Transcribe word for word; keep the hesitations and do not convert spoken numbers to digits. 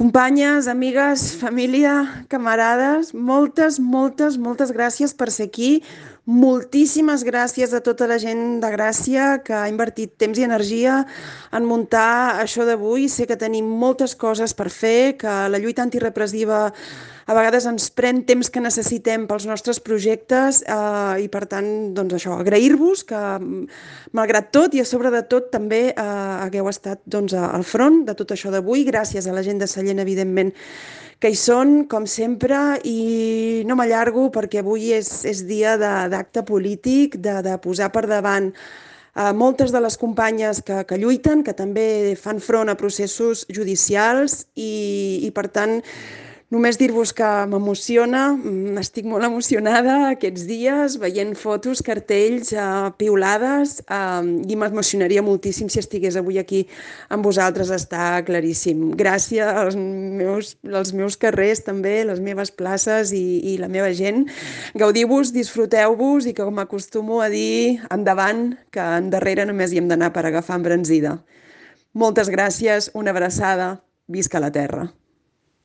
Companyes, amigues, família, camarades, moltes, moltes, moltes gràcies per ser aquí. Moltíssimes gràcies a tota la gent de Gràcia que ha invertit temps i energia en muntar això d'avui. Sé que tenim moltes coses per fer, que la lluita antirepressiva a vegades ens pren temps que necessitem pels nostres projectes eh, i per tant, doncs això, agrair-vos que malgrat tot i a sobre de tot també eh, hagueu estat doncs, al front de tot això d'avui. Gràcies a la gent de Sallent, evidentment, que hi són, com sempre, i no m'allargo perquè avui és, és dia d'acte polític, de, de posar per davant a moltes de les companyes que, que lluiten, que també fan front a processos judicials i, i per tant, només dir-vos que m'emociona, mm, estic molt emocionada aquests dies, veient fotos, cartells, eh, piulades, eh, i m'emocionaria moltíssim si estigués avui aquí amb vosaltres, està claríssim. Gràcies als meus, als meus carrers també, les meves places i, i la meva gent. Gaudiu-vos, disfruteu-vos i com acostumo a dir, endavant, que endarrere només hi hem d'anar per agafar embranzida. Moltes gràcies, una abraçada, visca la terra.